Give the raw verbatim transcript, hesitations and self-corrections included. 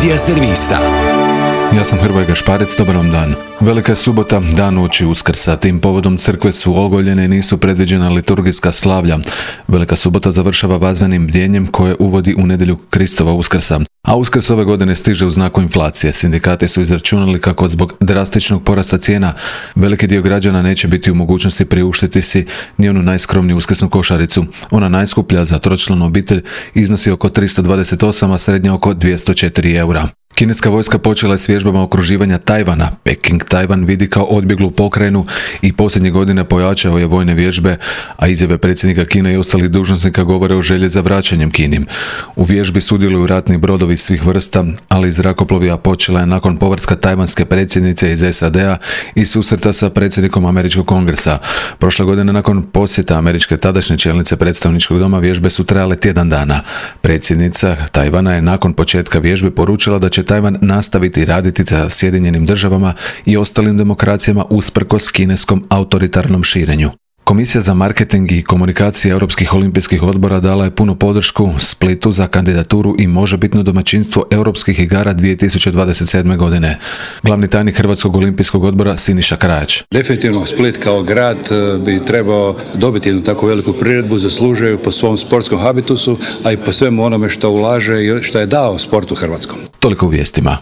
Medija servisa. Ja sam Hrvoje Gašparec, dobar vam dan. Velika je subota, dan uoči Uskrsa. Tim povodom crkve su ogoljene i nisu predviđena liturgijska slavlja. Velika subota završava vazvenim bdjenjem koje uvodi u nedjelju Kristova Uskrsa. A Uskrs ove godine stiže u znaku inflacije. Sindikati su izračunali kako zbog drastičnog porasta cijena veliki dio građana neće biti u mogućnosti priuštiti si ni onu najskromniju uskrsnu košaricu. Ona najskuplja za tročlanu obitelj iznosi oko tristo dvadeset osam, a srednja oko dvjesto četiri eura. Kineska vojska počela je s vježbama okruživanja Tajvana. Peking Tajvan vidi kao odbjeglu pokrajinu i posljednje godine pojačao je vojne vježbe, a izjave predsjednika Kine i ostalih dužnosnika govore o želji za vraćanjem Kini. U vježbi sudjeluju ratni brodovi svih vrsta, ali i zrakoplovi, a počela je nakon povratka tajvanske predsjednice iz S A D-a i susreta sa predsjednikom Američkog kongresa. Prošle godine nakon posjeta američke tadašnje čelnice predstavničkog doma vježbe su trajale tjedan dana. Predsjednica Tajvana je nakon početka vježbe poručila da će Tajvan nastaviti raditi sa Sjedinjenim državama i ostalim demokracijama usprkos kineskom autoritarnom širenju. Komisija za marketing i komunikacije Europskih olimpijskih odbora dala je punu podršku Splitu za kandidaturu i možebitno domaćinstvo Europskih igara dvije tisuće dvadeset sedme. godine. Glavni tajnik Hrvatskog olimpijskog odbora Siniša Krajač. Definitivno Split kao grad bi trebao dobiti jednu takvu veliku priredbu, zaslužuju po svom sportskom habitusu, a i po svemu onome što ulaže i što je dao sportu hrvatskom. Toliko u vijestima.